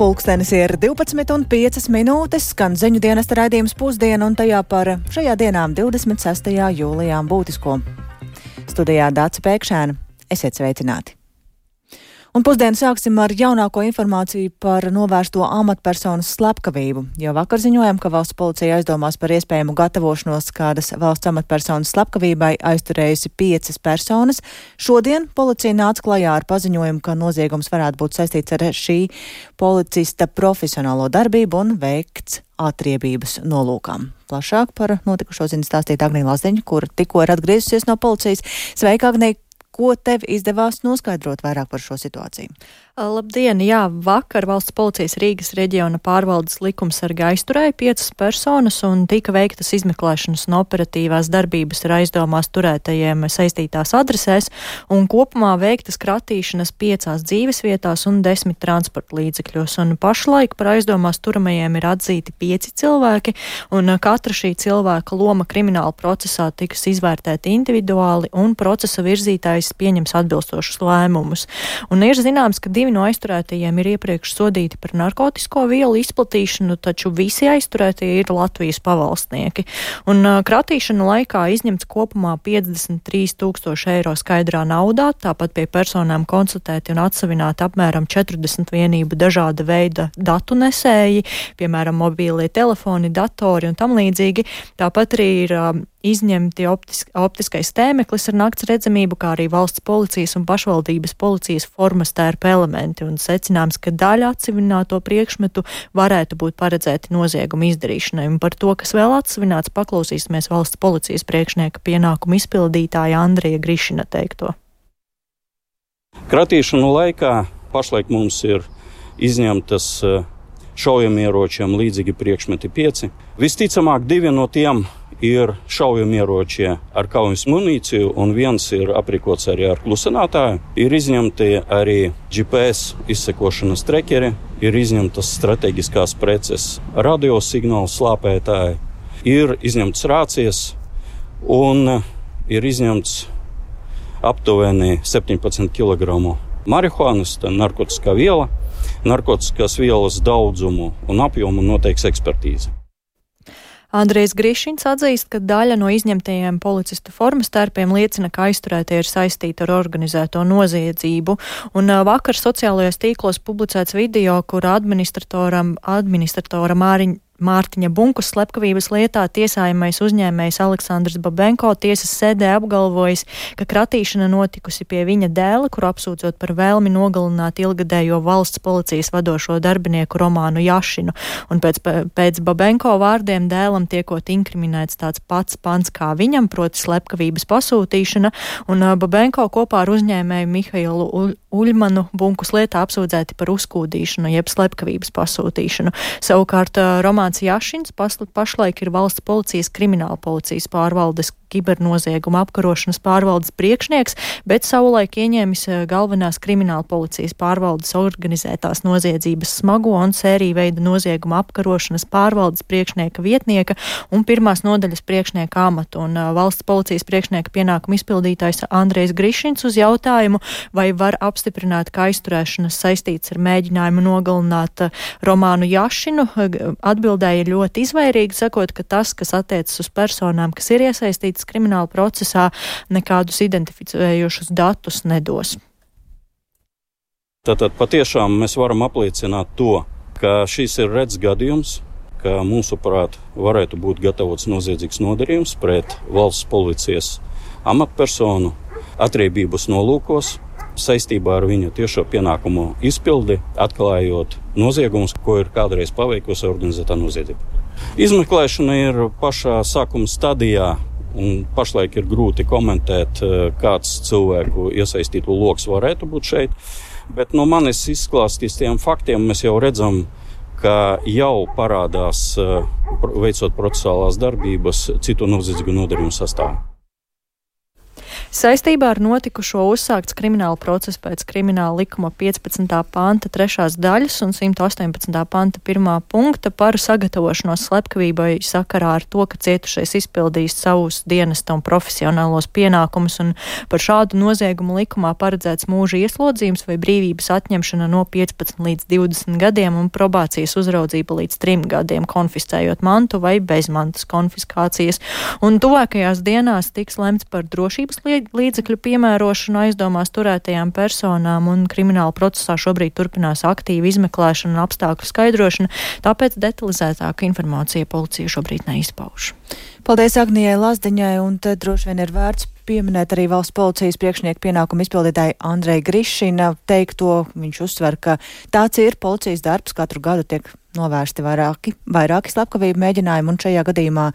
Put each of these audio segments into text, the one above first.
Pulkstenis ir 12:05, skan ziņu dienesta raidījums Pusdiena un tajā par šajā dienā 26. jūlijā būtisko. Studijā Dāca Pēkšēna. Esiet sveicināti! Un pusdienu sāksim ar jaunāko informāciju par novērsto amatpersonas slepkavību. Jau vakar ziņojām, ka valsts policija aizdomās par iespējamu gatavošanos kādas valsts amatpersonas slepkavībai aizturējusi 5 personas. Šodien policija nāca klajā ar paziņojumu, ka noziegums varētu būt saistīts ar šī policista profesionālo darbību un veikts atriebības nolūkām. Plašāk par notikušo zina stāstīt Agnija Laziņa, kur tikko ir atgriezusies no policijas. Sveika, Agnija! Ko tev izdevās noskaidrot vairāk par šo situāciju? Labdien! Jā, vakar valsts policijas Rīgas reģiona pārvaldes likumsargi aizturēja 5 personas un tika veiktas izmeklēšanas un operatīvās darbības ar aizdomās turētajiem saistītās adresēs un kopumā veiktas kratīšanas 5 dzīvesvietās un 10 transporta līdzekļos. Un pašlaik par aizdomās turamajiem ir atzīti 5 cilvēki un katra šī cilvēka loma krimināla procesā tiks izvērtēta individuāli un procesa virzītājs pieņems atbilstošus lēmumus. Un ir zināms, ka 2 no aizturētajiem ir iepriekš sodīti par narkotisko vielu izplatīšanu, taču visi aizturētie ir Latvijas pavalstnieki. Un kratīšana laikā izņemts kopumā 53 000 eiro skaidrā naudā, tāpat pie personām konstatēti un atsavināti apmēram 40 vienību dažāda veida datu nesēji, piemēram, mobīlie telefoni, datori un tam līdzīgi. Tāpat arī ir izņemti optiskais tēmeklis ar nakts redzamību, kā arī valsts policijas un pašvaldības policijas formas tērpa elementi, un secināms, ka daļa atsavināto priekšmetu varētu būt paredzēti nozieguma izdarīšanai. Un par to, kas vēl atsavināts, paklausīsimies valsts policijas priekšnieka pienākumu izpildītāja Andrija Grišina teikto. Kratīšanu laikā pašlaik mums ir izņemtas šaujamieročiem līdzīgi priekšmeti 5. Visticamāk, 2 no tiem ir šaujamieroči ar kaujas munīciju, un viens ir aprīkots arī ar klusinātāju. Ir izņemti arī GPS izsekošanas trekeri, ir izņemtas strateģiskās preces, radiosignālu slāpētāji, ir izņemtas rācijas un ir izņemts aptuveni 17 kg marihuānas, tā narkotiskā viela. Narkotiskās vielas daudzumu un apjomu noteiks ekspertīze. Andrejs Grišins atzīst, ka daļa no izņemtajiem policistu formas tērpiem liecina, ka aizturētie ir saistīti ar organizēto noziedzību. Un vakar sociālajos tīklos publicēts video, kur administratora Mārtiņa Bunkas slepkavības lietā tiesājamais uzņēmējs Aleksandrs Babenko tiesas sēdē apgalvojis, ka kratīšana notikusi pie viņa dēla, kur apsūdzot par vēlmi nogalināt ilgadējo valsts policijas vadošo darbinieku Romānu Jašinu. Un pēc Babenko vārdiem dēlam tiekot inkriminēts tāds pats pants kā viņam, proti slepkavības pasūtīšana, un Babenko kopā ar uzņēmēju Mihailu Uļmanu Bunkas lietā apsūdzēti par uzkūdīšanu, jeb slepkavības pasūtīšanu. Savukārt Romāns Jašins pašlaik ir valsts policijas krimināla policijas pārvaldes kibernozieguma apkarošanas pārvaldes priekšnieks, bet savulaik ieņēmis galvenās krimināla policijas pārvaldes organizētās noziedzības smago un sēriju veida nozieguma apkarošanas pārvaldes priekšnieka vietnieka un pirmās nodaļas priekšnieka amatu. Un valsts policijas priekšnieka pienākumu izpildītājs Andrejs Grišins uz jautājumu, vai var apstiprināt, ka aizturēšanas saistīts ar mēģinājumu nogalināt Romānu Jašinu, atbildēja ļoti izvairīgi, sakot, ka tas, kas attiecas uz personām, kas ir iesaistītas krimināla procesā, nekādus identificējošus datus nedos. Tātad patiešām mēs varam apliecināt to, ka šis ir rets gadījums, ka mūsuprāt varētu būt gatavots noziedzīgs nodarījums pret valsts policijas amatpersonu atriebības nolūkos saistībā ar viņa tiešo pienākumu izpildi, atklājot noziegumus, ko ir kādreiz paveikusi organizētā noziedzība. Izmeklēšana ir pašā sākuma stadijā, un pašlaik ir grūti komentēt, kāds cilvēku iesaistītu loks varētu būt šeit. Bet no manis izklāstītiem faktiem mēs jau redzam, ka jau parādās, veicot procesuālās darbības, citu noziedzīgu nodarījumu sastāvā. Saistībā ar notikušo uzsākts krimināla process pēc krimināla likuma 15. panta 3. daļas un 118. panta 1. punkta par sagatavošanos slepkavībai sakarā ar to, ka cietušais izpildījis savus dienesta un profesionālos pienākumus, un par šādu noziegumu likumā paredzēts mūža ieslodzījums vai brīvības atņemšana no 15 līdz 20 gadiem un probācijas uzraudzība līdz 3 gadiem, konfiscējot mantu vai bezmantas konfiskācijas. Un tuvākajās dienās tiks lemts par drošības līdzekļu piemērošanu aizdomās turētajām personām, un krimināla procesā šobrīd turpinās aktīva izmeklēšana un apstākļu skaidrošana, tāpēc detalizētāka informācija policija šobrīd neizpauž. Paldies Agnijai Lazdiņai, un te droši vien ir vērts pieminēt arī valsts policijas priekšnieku pienākumu izpildītāju Andreju Grišina teikto. Viņš uzsver, ka tāds ir policijas darbs, katru gadu tiek novērsti vairāki slepkavību mēģinājumi, un šajā gadījumā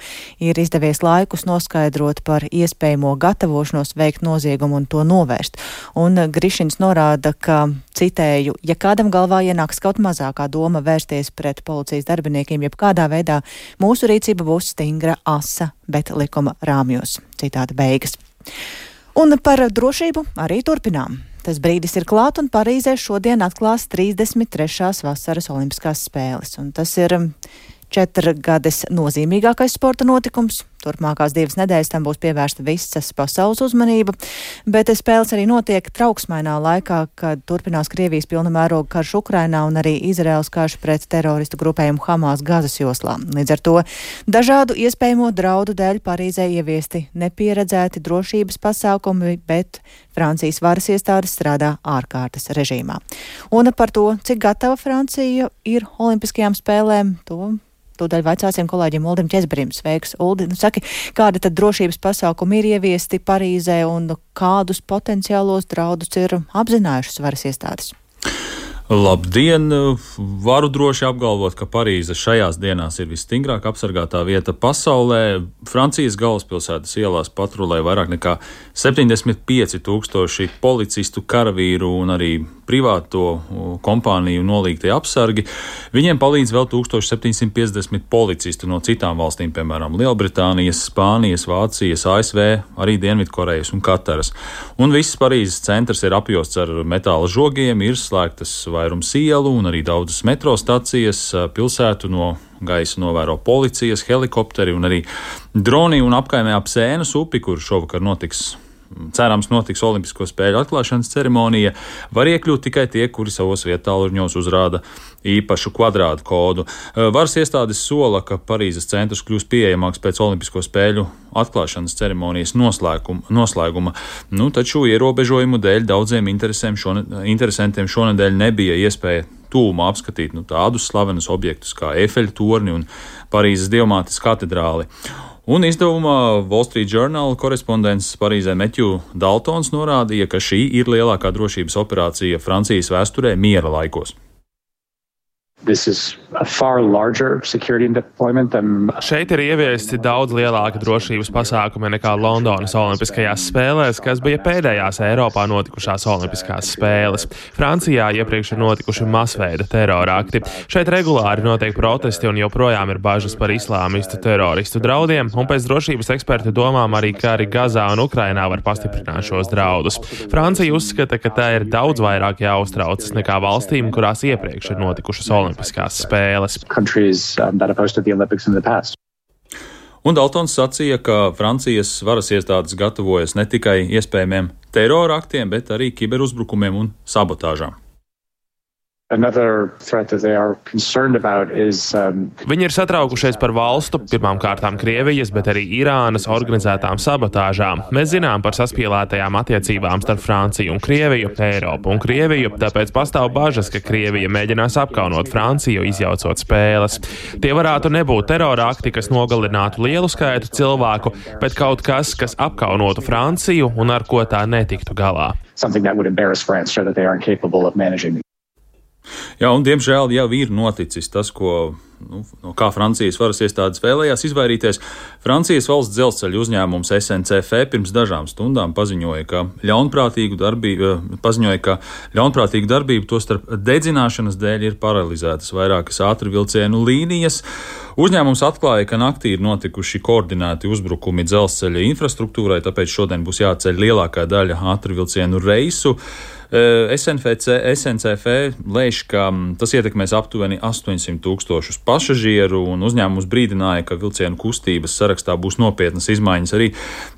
ir izdevies laikus noskaidrot par iespējamo gatavošanos veikt noziegumu un to novērst. Un Grišins norāda, ka, citēju, ja kādam galvā ienāks kaut mazākā doma vērsties pret policijas darbiniekiem, jebkādā veidā mūsu rīcība būs stingra, asa, bet likuma rāmjos. Citāta beigas. Un par drošību arī turpinām. Tas brīdis ir klāt, un Parīzē šodien atklās 33. vasaras olimpiskās spēles. Un tas ir 4 gades nozīmīgākais sporta notikums. Turpmākās 2 nedēļas tam būs pievērsta visas pasaules uzmanība, bet spēles arī notiek trauksmainā laikā, kad turpinās Krievijas pilna mēroga karš Ukrainā un arī Izraēlas karš pret teroristu grupējumu Hamas Gazas joslā. Līdz ar to dažādu iespējamo draudu dēļ Parīzē ieviesti nepieredzēti drošības pasākumi, bet Francijas varas iestādes strādā ārkārtas režīmā. Un par to, cik gatava Francija ir olimpiskajām spēlēm, tūdaļ vaicāsim kolēģim Uldim Ķezberim. Sveiks, Uldi. Saki, kādi tad drošības pasākumi ir ieviesti Parīzē un kādus potenciālos draudus ir apzinājušas varas iestādes? Labdien! Varu droši apgalvot, ka Parīze šajās dienās ir visstingrāk apsargātā vieta pasaulē. Francijas galvaspilsētas ielās patrulē vairāk nekā 75,000 policistu, karavīru un arī privāto kompāniju nolīgtie apsargi. Viņiem palīdz vēl 1750 policistu no citām valstīm, piemēram, Lielbritānijas, Spānijas, Vācijas, ASV, arī Dienvidkorejas un Kataras. Un viss Parīzes centrs ir apjosts ar metāla žogiem, ir slēgtas vairums ielu un arī daudzas metro stacijas. Pilsētu no gaisa novēro policijas, helikopteri un arī droni, un apkaimē ap Sēnas upi, kur šovakar cerams notiks Olimpisko spēļu atklāšanas ceremonija, var iekļūt tikai tie, kuri savos vietāluņos uzrāda īpašu kvadrātu kodu. Varas iestādes sola, ka Parīzes centrs kļūs pieejamāks pēc Olimpisko spēļu atklāšanas ceremonijas noslēguma. Taču ierobežojumu dēļ daudziem interesantiem šonedēļ nebija iespēja tūmā apskatīt tādus slavenus objektus kā Eifeļa torni un Parīzes Dievmātes katedrāli. Un izdevumā Wall Street Journal korespondents Parīzē Matthew Daltons norādīja, ka šī ir lielākā drošības operācija Francijas vēsturē miera laikos. Šeit ir ieviesti daudz lielāki drošības pasākumi nekā Londonas Olimpiskajās spēlēs, kas bija pēdējās Eiropā notikušās Olimpiskās spēles. Francijā iepriekš ir notikuši masveida terorakti. Šeit regulāri notiek protesti un joprojām ir bažas par islāmistu teroristu draudiem, un pēc drošības ekspertu domām arī kari Gazā un Ukrainā var pastiprināt šos draudus. Francija uzskata, ka tā ir daudz vairāk jāuztraucas nekā valstīm, kurās iepriekš ir notikušas Olimpiskās spēles. Un Daltons sacīja, ka Francijas varas iestādes gatavojas ne tikai iespējamiem terora aktiem, bet arī kiberuzbrukumiem un sabotāžām. Viņi ir satraukušies par valstu, pirmām kārtām Krievijas, bet arī Irānas organizētām sabotāžām. Mēs zinām par saspīlētajām attiecībām starp Franciju un Krieviju, Eiropu un Krieviju, tāpēc pastāv bažas, ka Krievija mēģinās apkaunot Franciju, izjaucot spēles. Tie varētu nebūt terora akti, kas nogalinātu lielu skaitu cilvēku, bet kaut kas, kas apkaunotu Franciju un ar ko tā netiktu galā. Jā, un diemžēl jau ir noticis tas, ko no kā Francijas varas iestādes vēlējās izvairīties, Francijas valsts dzelzceļa uzņēmums SNCF pirms dažām stundām paziņoja, ka ļaunprātīgu darbību tostarp dedzināšanas dēļ ir paralizētas vairākas ātrvilcienu līnijas. Uzņēmums atklāja, ka naktī ir notikuši koordinēti uzbrukumi dzelzceļa infrastruktūrai, tāpēc šodien būs jāceļ lielākā daļa ātrvilcienu reisu. SNCF lēš, ka tas ietekmēs aptuveni 800,000 pasažieru, un uzņēmums brīdināja, ka vilcienu kustības sarakstā būs nopietnas izmaiņas arī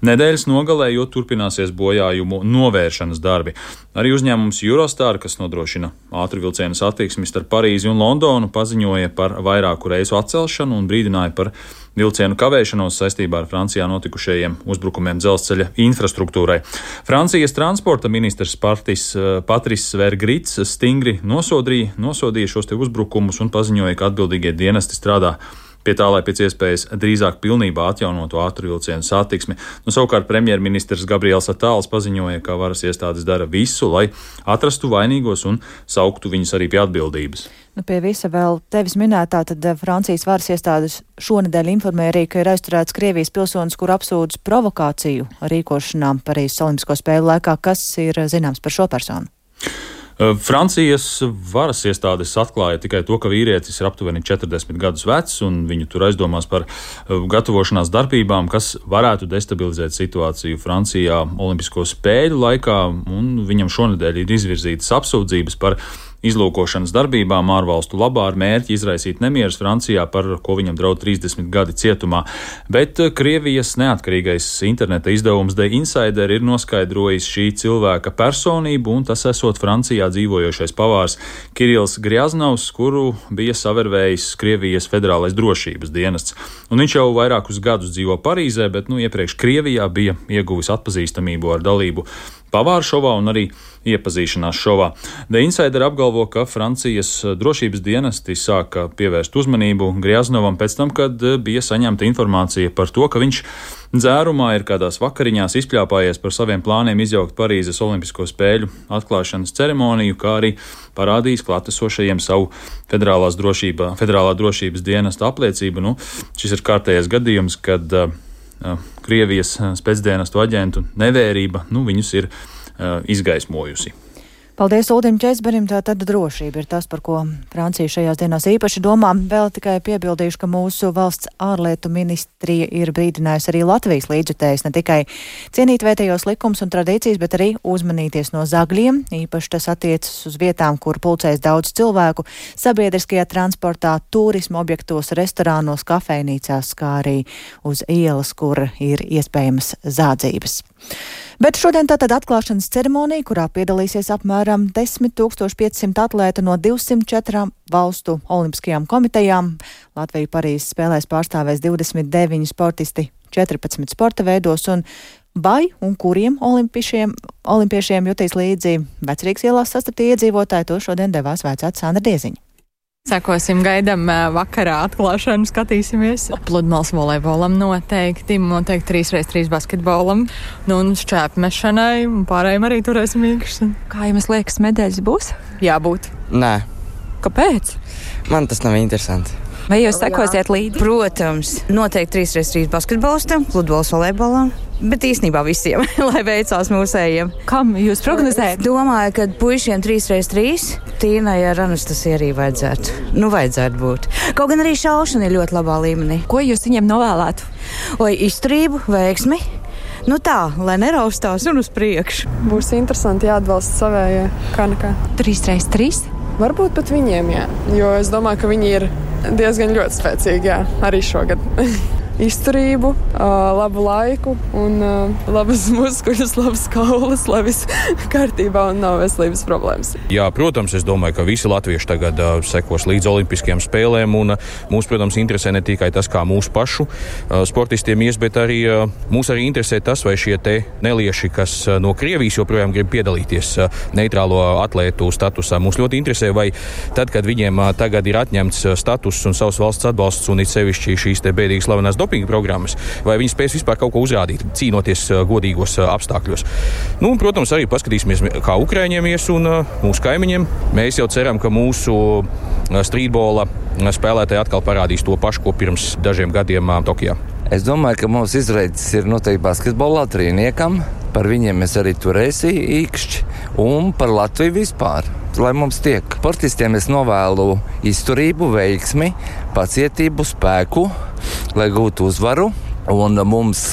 nedēļas nogalē, jo turpināsies bojājumu novēršanas darbi. Arī uzņēmums Eurostar, kas nodrošina ātrvilcienu satiksmi starp Parīzi un Londonu, paziņoja par vairāku reisu atcelšanu un brīdināja par vilcienu kavēšanos saistībā ar Francijā notikušajiem uzbrukumiem dzelzceļa infrastruktūrai. Francijas transporta ministrs Patrice Vergrits stingri nosodīja šos te uzbrukumus un paziņoja, ka atbildīgie dienesti strādā pie tā, lai pēc iespējas drīzāk pilnībā atjaunotu ātrvilcienu satiksmi. Savukārt premjerministrs Gabriels Attāls paziņoja, ka varas iestādes dara visu, lai atrastu vainīgos un sauktu viņus arī pie atbildības. Pie visa vēl tevis minētā, tad Francijas varas iestādes šonedēļ informēja arī, ka ir aizturēts Krievijas pilsonis, kur apsūdz provokāciju Rīkošanām Parīzes Olimpisko spēļu laikā. Kas ir zināms par šo personu? Francijas varas iestādes atklāja tikai to, ka vīrietis ir aptuveni 40 gadus vecs, un viņu tur aizdomās par gatavošanās darbībām, kas varētu destabilizēt situāciju Francijā Olimpisko spēļu laikā, un viņam šonedēļ ir izvirzītas apsūdzības par izlūkošanas darbībām ārvalstu labā ar mērķi izraisīt nemierus Francijā, par ko viņam draud 30 gadi cietumā. Bet Krievijas neatkarīgais interneta izdevums The Insider ir noskaidrojis šī cilvēka personību, un tas esot Francijā dzīvojošais pavārs Kirils Grjaznovs, kuru bija savervējis Krievijas federālais drošības dienests. Un viņš jau vairākus gadus dzīvo Parīzē, bet iepriekš Krievijā bija ieguvis atpazīstamību ar dalību pavāru šovā un arī iepazīšanās šovā. The Insider apgalvo, ka Francijas drošības dienesti sāka pievērst uzmanību Grjaznovam pēc tam, kad bija saņemta informācija par to, ka viņš dzērumā ir kādās vakariņās izpļāpājies par saviem plāniem izjaukt Parīzes Olimpisko spēļu atklāšanas ceremoniju, kā arī parādījis klātesošajiem savu federālā drošības dienesta apliecību. Šis ir kārtējais gadījums, kad Krievijas spēcdienestu aģentu nevērība viņus ir izgaismojusi. Paldies Uldim Česberim, tātad drošība ir tas, par ko Francija šajās dienās īpaši domā. Vēl tikai piebildīšu, ka mūsu valsts ārlietu ministrija ir brīdinājusi arī Latvijas līdzjutējus ne tikai cienīt vietējos likums un tradīcijas, bet arī uzmanīties no zagļiem. Īpaši tas attiecas uz vietām, kur pulcēs daudz cilvēku, sabiedriskajā transportā, turisma objektos, restorānos, kafejnīcās, kā arī uz ielas, kur ir iespējamas zādzības. Bet šodien tātad atklāšanas ceremonija, kurā piedalīsies apmēram 10,500 atlētu no 204 valstu olimpiskajām komitejām. Latviju Parīzes spēlēs pārstāvēs 29 sportisti 14 sporta veidos, un vai un kuriem olimpiešiem jutīs līdzi Vecrīgas ielās sastaptie iedzīvotāji, to šodien devās vaicāt Sandra Dieziņa. Sekosim, gaidam vakarā atklāšanu, skatīsimies. Pludmales volejbolam noteikti 3x3 basketbolam, un šķēpmešanai, un pārējiem arī turēsim īkšķi. Kā jums liekas, medaļas būs? Jābūt. Nē. Kāpēc? Man tas nav interesanti. Vai jūs sekosiet līdzi? Protams, noteikti 3x3 basketbolistam, pludmales volejbolam, bet īstenībā visiem, lai veicās mūsējiem. Kam jūs prognozējat? Domāju, ka puišiem 3x3 Tīnai ar Anastasiju arī vajadzētu būt. Kaut gan arī šaušana ir ļoti labā līmenī. Ko jūs viņiem novēlētu? Izturību, veiksmi. Tā, lai neraustās un uz priekšu. Būs interesanti jāatbalsta savējie, kā nekā. 3x3? Varbūt pat viņiem, jā. Jo es domāju, ka viņi ir diezgan ļoti spēcīgi, jā, arī šogad. Izturību, labu laiku un labas muskuļus, labas kaulas, lai viss kārtībā un nav veselības problēmas. Jā, protams, es domāju, ka visi latvieši tagad sekos līdz olimpiskajām spēlēm, un mūs, protams, interesē ne tikai tas, kā mūsu pašu sportistiem ies, bet arī mūs arī interesē tas, vai šie te nelieši, kas no Krievijas joprojām grib piedalīties neitrālo atlētu statusā. Mūs ļoti interesē, vai tad, kad viņiem tagad ir atņemts status un savas valsts atbalsts, un it sevišķi šīs te bēdīgas slavenās dopinga programmas, vai viņi spēs vispār kaut ko uzrādīt, cīnoties godīgos apstākļos. Nu, un, protams, arī paskatīsimies, kā Ukraiņiem ies un mūsu kaimiņiem. Mēs jau ceram, ka mūsu strītbola spēlētāji atkal parādīs to pašu, ko pirms dažiem gadiem Tokijā. Es domāju, ka mūsu izredzes ir noteikti basketbola trīniekam. Par viņiem mēs arī turēsim īkšķi un par Latviju vispār. Lai mums tiek sportistiem, es novēlu izturību, veiksmi, pacietību, spēku, lai gūtu uzvaru. Un mums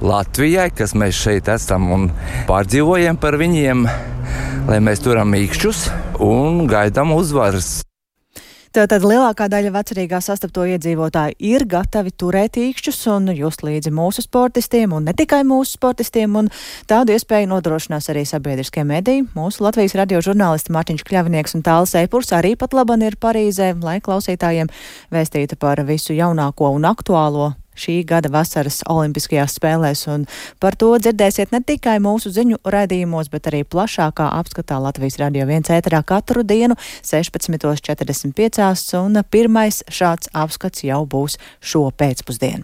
Latvijai, kas mēs šeit esam un pārdzīvojam par viņiem, lai mēs turam īkšķus un gaidām uzvaras. Tātad lielākā daļa vecrīgā sastapto iedzīvotāju ir gatavi turēt īkšķus un just līdzi mūsu sportistiem, un ne tikai mūsu sportistiem, un tādu iespēju nodrošinās arī sabiedriskie mediji. Mūsu Latvijas radio žurnālisti Mārtiņš Kļavnieks un Tālis Eipurs arī pat laban ir Parīzē, lai klausītājiem vēstītu par visu jaunāko un aktuālo šī gada vasaras olimpiskajās spēlēs, un par to dzirdēsiet ne tikai mūsu ziņu raidījumos, bet arī plašākā apskatā Latvijas Radio 1 ēterā katru dienu 16:45, un pirmais šāds apskats jau būs šo pēcpusdienu.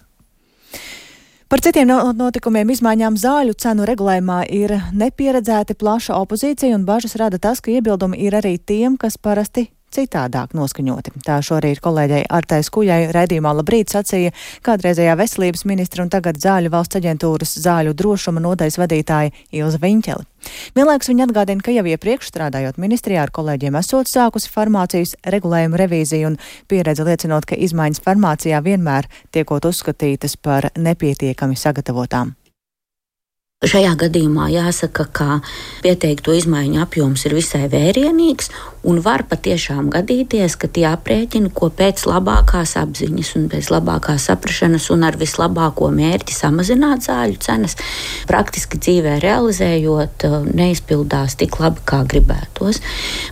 Par citiem notikumiem izmaiņām zāļu cenu regulējumā ir nepieredzēti plaša opozīcija, un bažas rada tas, ka iebildumi ir arī tiem, kas parasti citādāk noskaņoti. Tā šorīt kolēģei Artai Skujai raidījumā Labrīt sacīja kādreizējā veselības ministra un tagad Zāļu valsts aģentūras zāļu drošuma nodaļas vadītāja Ilze Viņķele. Vienlaikus viņa atgādina, ka jau iepriekš strādājot ministrijā ar kolēģiem esot sākusi farmācijas regulējumu revīziju, un pieredze liecinot, ka izmaiņas farmācijā vienmēr tiekot uzskatītas par nepietiekami sagatavotām. Šajā gadījumā jāsaka, ka pieteikto izmaiņu apjoms ir visai vērienīgs un var patiešām gadīties, ka tie aprēķini, ko pēc labākās apziņas un pēc labākās saprašanas un ar vislabāko mērķi samazināt zāļu cenas, praktiski dzīvē realizējot, neizpildās tik labi, kā gribētos.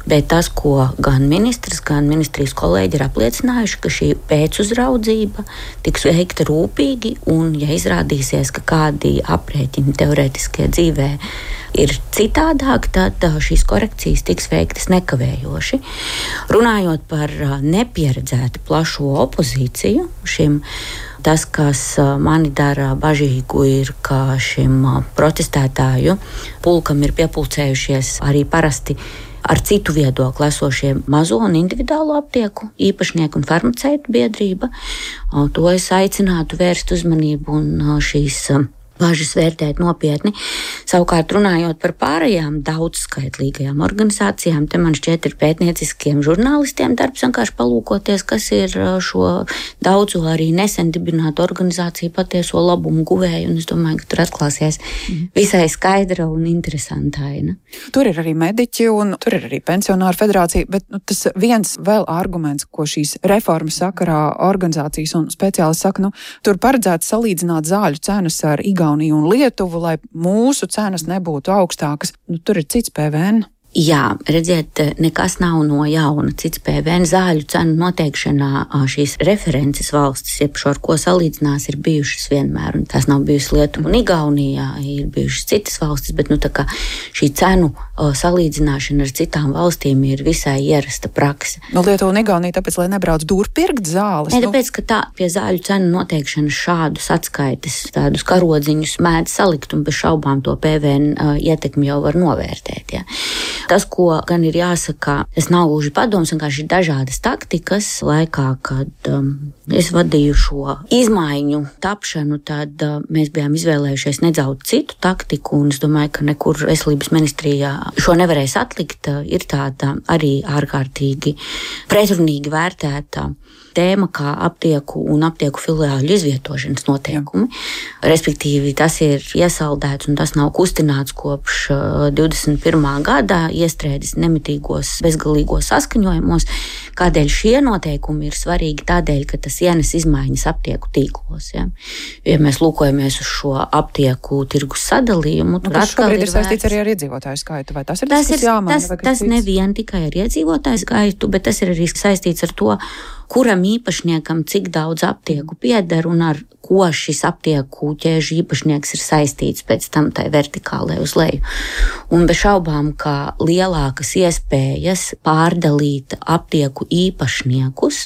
Bet tas, ko gan ministrs, gan ministrijas kolēģi ir apliecinājuši, ka šī pēcuzraudzība tiks veikta rūpīgi, un ja izrādīsies, ka kādi aprēķini teorētiskie dzīvē ir citādāk, tad šīs korekcijas tiks veiktas nekavējoši. Runājot par nepieredzēti plašo opozīciju šim, tas, kas mani dara bažīgu, ir, ka šim protestētāju pulkam ir piepulcējušies arī parasti ar citu viedokli esošie mazo un individuālo aptieku īpašnieku un farmaceitu biedrība. To es aicinātu vērst uzmanību un šīs bažas vērtēt nopietni. Savukārt runājot par pārējām daudzskaitlīgajām organizācijām, te man šķiet ir pētnieciskiem žurnālistiem darbs vienkārši palūkoties, kas ir šo daudzu arī nesen dibinātu organizāciju patieso labumu guvēju, un es domāju, ka tur atklāsies visai skaidra un interesanta aina. Tur ir arī mediķi un tur ir arī pensionāru federācija, bet tas viens vēl arguments, ko šīs reformas sakarā organizācijas un speciālisti saka, tur paredzēts salīdzināt zāļu cenas ar Igauniju un Lietuvu, lai mūsu cenas nebūtu augstākas. Tur ir cits PVN. Jā, redziet, nekas nav no jauna. Cits PVN zāļu cenu noteikšanā šīs references valstis, jeb šo ar ko salīdzinās, ir bijušas vienmēr. Un tās nav bijušas Lietuva un Igaunijā, ir bijušas citas valstis, bet tā kā šī cenu salīdzināšana ar citām valstīm ir visai ierasta prakse. Lietuva un Igaunija tāpēc, lai nebrauc dūrpirkt zāles? Ne, tāpēc, ka tā pie zāļu cenu noteikšanas šādus atskaites, tādus karodziņus mēdz salikt, un bez šaubām to PVN ietekmi jau var novērtēt. Ja. Tas, ko gan ir jāsaka, tas nav gluži padoms, vienkārši ir dažādas taktikas. Laikā, kad es vadīju šo izmaiņu tapšanu, tad mēs bijām izvēlējušies nedaudz citu taktiku, un es domāju, ka nekur veselības ministrijā šo nevarēs atlikt. Ir tāda arī ārkārtīgi pretrunīgi vērtēta tēma kā aptieku un aptieku filiāļu izvietošanas noteikumi. Respektīvi, tas ir iesaldēts un tas nav kustināts kopš 21. gadā, iestrēdis nemitīgos, bezgalīgos saskaņojumos. Kādēļ šie noteikumi ir svarīgi? Tādēļ, ka tas ienes izmaiņas aptieku tīklos. Ja, ja mēs lūkojamies uz šo aptieku tirgus sadalījumu, tur atkal ir saistīts arī ar iedzīvotāju skaitu, vai tas ir tas, kas jāmaina? Tas nevien tikai ar iedzīvotāju skaitu, bet tas ir arī saistīts ar to, kuram īpašniekam cik daudz aptieku pieder un ar ko šis aptieku ķēžu īpašnieks ir saistīts pēc tam tai vertikālai uz leju. Un bez šaubām, ka lielākas iespējas pārdalīt aptieku īpašniekus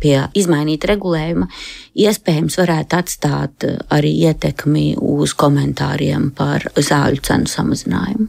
pie izmainīta regulējuma iespējams varētu atstāt arī ietekmi uz komentāriem par zāļu cenu samazinājumu.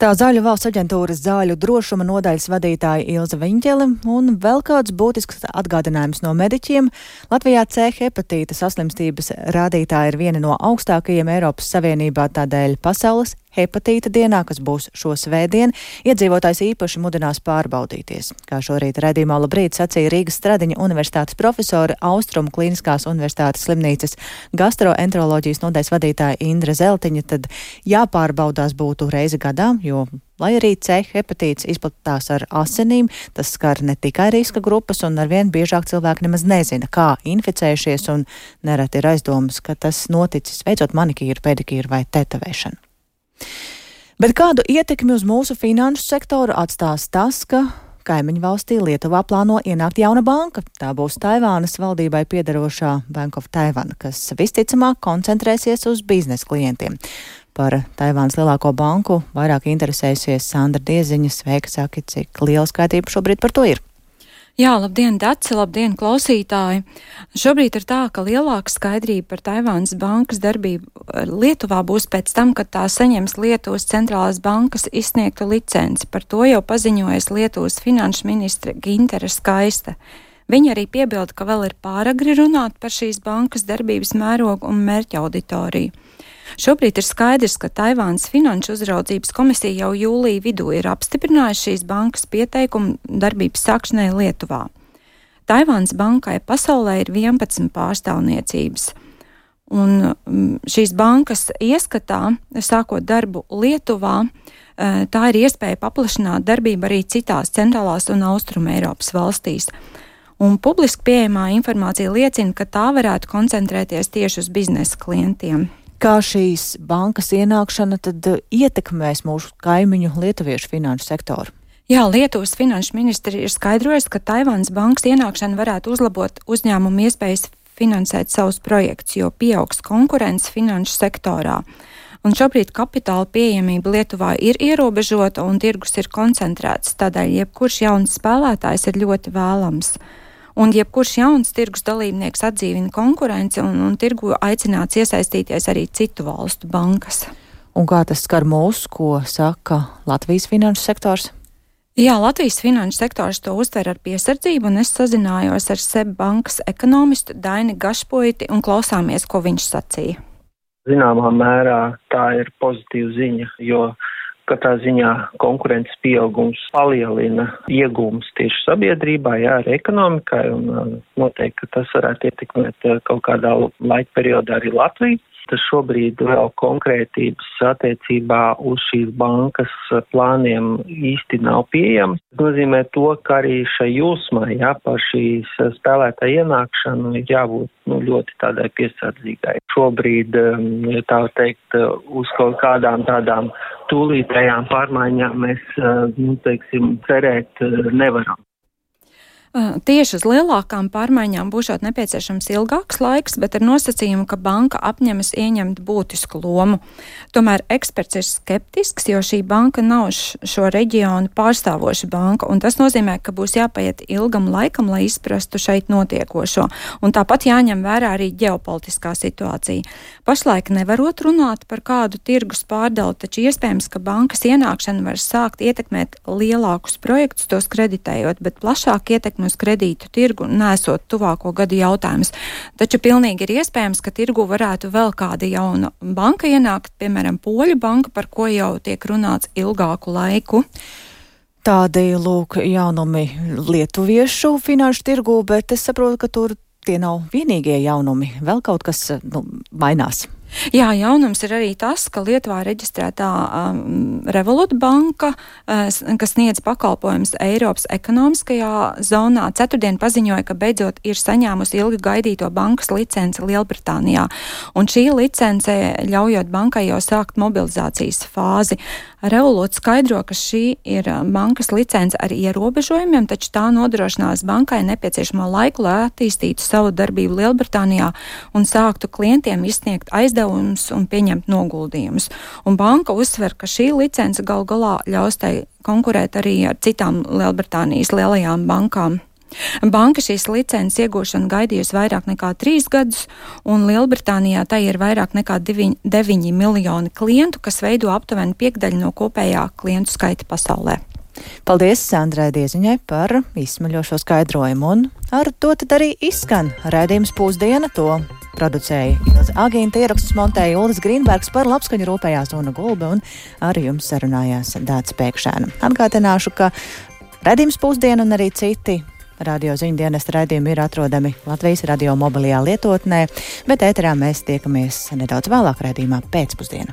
Tā Zāļu valsts aģentūras zāļu drošuma nodaļas vadītāja Ilze Viņķele un vēl kāds būtisks atgādinājums no mediķiem. Latvijā C hepatīta saslimstības rādītāji ir viena no augstākajiem Eiropas Savienībā, tādēļ pasaules hepatīta dienā, kas būs šo svētdien, iedzīvotājs īpaši mudinās pārbaudīties. Kā šorīt raidījumā Labrīt sacīja Rīgas Stradiņa universitātes profesore, Austrumu Kliniskās universitātes slimnīcas gastroenteroloģijas nodaļas vadītāja Indra Zeltiņa, tad jāpārbaudās būtu reizi gadā, jo, lai arī C hepatīts izplatās ar asinīm, tas skar ne tikai riska grupas, un arvien biežāk cilvēki nemaz nezina, kā inficējušies, un nereti ir aizdomas, ka tas noticis veicot manikīru, pedikīru vai tetavēšanu. Bet kādu ietekmi uz mūsu finanšu sektoru atstās tas, ka kaimiņu valstī Lietuvā plāno ienākt jauna banka? Tā būs Taivānas valdībai piederošā Bank of Taiwan, kas visticamāk koncentrēsies uz biznesa klientiem. Par Taivānas lielāko banku vairāk interesēsies Sandra Dieziņa. Sveika, saki, cik liela skaitība šobrīd par to ir? Jā, labdien, Daci, labdien, klausītāji! Šobrīd ir tā, ka lielāka skaidrība par Taivānas bankas darbību Lietuvā būs pēc tam, kad tā saņems Lietuvas centrālās bankas izsniegtu licenci. Par to jau paziņojas Lietuvas finanšu ministre Gintere Skaiste. Viņa arī piebilda, ka vēl ir pāragri runāt par šīs bankas darbības mērogu un mērķa auditoriju. Šobrīd ir skaidrs, ka Taivānas finanšu uzraudzības komisija jau jūlija vidū ir apstiprinājusi šīs bankas pieteikumu darbības sākšanai Lietuvā. Taivānas bankai pasaulē ir 11 pārstāvniecības, un šīs bankas ieskatā, sākot darbu Lietuvā, tā ir iespēja paplašināt darbību arī citās centrālās un austruma Eiropas valstīs. Un publiski pieejamā informācija liecina, ka tā varētu koncentrēties tieši uz biznesa klientiem. Kā šīs bankas ienākšana tad ietekmēs mūsu kaimiņu lietuviešu finanšu sektoru? Jā, Lietuvas finanšu ministri ir skaidrojis, ka Taivānas bankas ienākšana varētu uzlabot uzņēmumu iespējas finansēt savus projektus, jo pieaugs konkurence finanšu sektorā. Un šobrīd kapitāla pieejamība Lietuvā ir ierobežota un tirgus ir koncentrēts, tādēļ jebkurš jauns spēlētājs ir ļoti vēlams. Un jebkurš jauns tirgus dalībnieks atdzīvina konkurenci un tirgu aicināts iesaistīties arī citu valstu bankas. Un kā tas skar mūs, ko saka Latvijas finanšu sektors? Jā, Latvijas finanšu sektors to uztver ar piesardzību, un es sazinājos ar SEB bankas ekonomistu Daini Gašpuiti un klausāmies, ko viņš sacīja. Zināmā mērā tā ir pozitīva ziņa, jo katrā ziņā konkurences pieaugums palielina iegūmus tieši sabiedrībā, jā, arī ekonomikai, un noteikti, ka tas varētu ietekmēt kaut kādā laika periodā arī Latviju. Tas šobrīd vēl konkrētības attiecībā uz šīs bankas plāniem īsti nav pieejams. Tas nozīmē to, ka arī šai jūsmai, jā, par šīs spēlētāja ienākšanu ir jābūt ļoti tādai piesardzīgai. Šobrīd, tā teikt, uz kaut kādām tādām tūlītējām pārmaiņām mēs, cerēt nevaram. Tieši uz lielākām pārmaiņām būšot nepieciešams ilgāks laiks, bet ar nosacījumu, ka banka apņemas ieņemt būtisku lomu. Tomēr eksperts ir skeptisks, jo šī banka nav šo reģionu pārstāvoša banka, un tas nozīmē, ka būs jāpaiet ilgam laikam, lai izprastu šeit notiekošo. Un tāpat jāņem vērā arī ģeopolitiskā situācija. Pašlaik nevarot runāt par kādu tirgus pārdalu, taču iespējams, ka bankas ienākšana var sākt ietekmēt lielākus projektus, tos kreditējot, bet plašāk ietekmēt uz kredītu tirgu nesot tuvāko gadu jautājums. Taču pilnīgi ir iespējams, ka tirgu varētu vēl kāda jauna banka ienākt, piemēram, Poļu banka, par ko jau tiek runāts ilgāku laiku. Tādi, lūk, jaunumi lietuviešu finanšu tirgu, bet es saprotu, ka tur tie nav vienīgie jaunumi. Vēl kaut kas mainās. Jā, jaunums ir arī tas, ka Lietuvā reģistrētā Revolut banka, kas sniedz pakalpojumus Eiropas ekonomiskajā zonā, ceturtdien paziņoja, ka beidzot ir saņēmusi ilgi gaidīto bankas licenci Lielbritānijā. Un šī licence ļaujot bankai jau sākt mobilizācijas fāzi. Revolut skaidro, ka šī ir bankas licence ar ierobežojumiem, taču tā nodrošinās bankai nepieciešamo laiku, lai attīstītu savu darbību Lielbritānijā un sāktu klientiem izsniegt aizdevumu izdevumus un pieņemt noguldījumus. Un banka uzsver, ka šī licence gal galā ļaus tai konkurēt arī ar citām Lielbritānijas lielajām bankām. Banka šīs licences iegūšanu gaidījusi vairāk nekā 3 gadus, un Lielbritānijā tai ir vairāk nekā 9 miljoni klientu, kas veido aptuveni 5% no kopējā klientu skaita pasaulē. Paldies Sandrai Dieziņai par izsmaļošo skaidrojumu, un ar to tad arī izskan raidījums Pusdiena. To producēja Ilze Agīnta, ierakstus montēja Uldis Grīnbergs, par labskaņu rūpējās Una Gulbe un ar jums sarunājās Dāca Pēkšēna. Atgādināšu, ka raidījums Pusdiena un arī citi radio ziņu dienesta raidījumi ir atrodami Latvijas radio mobilajā lietotnē, bet ēterā mēs tiekamies nedaudz vēlāk raidījumā Pēcpusdiena.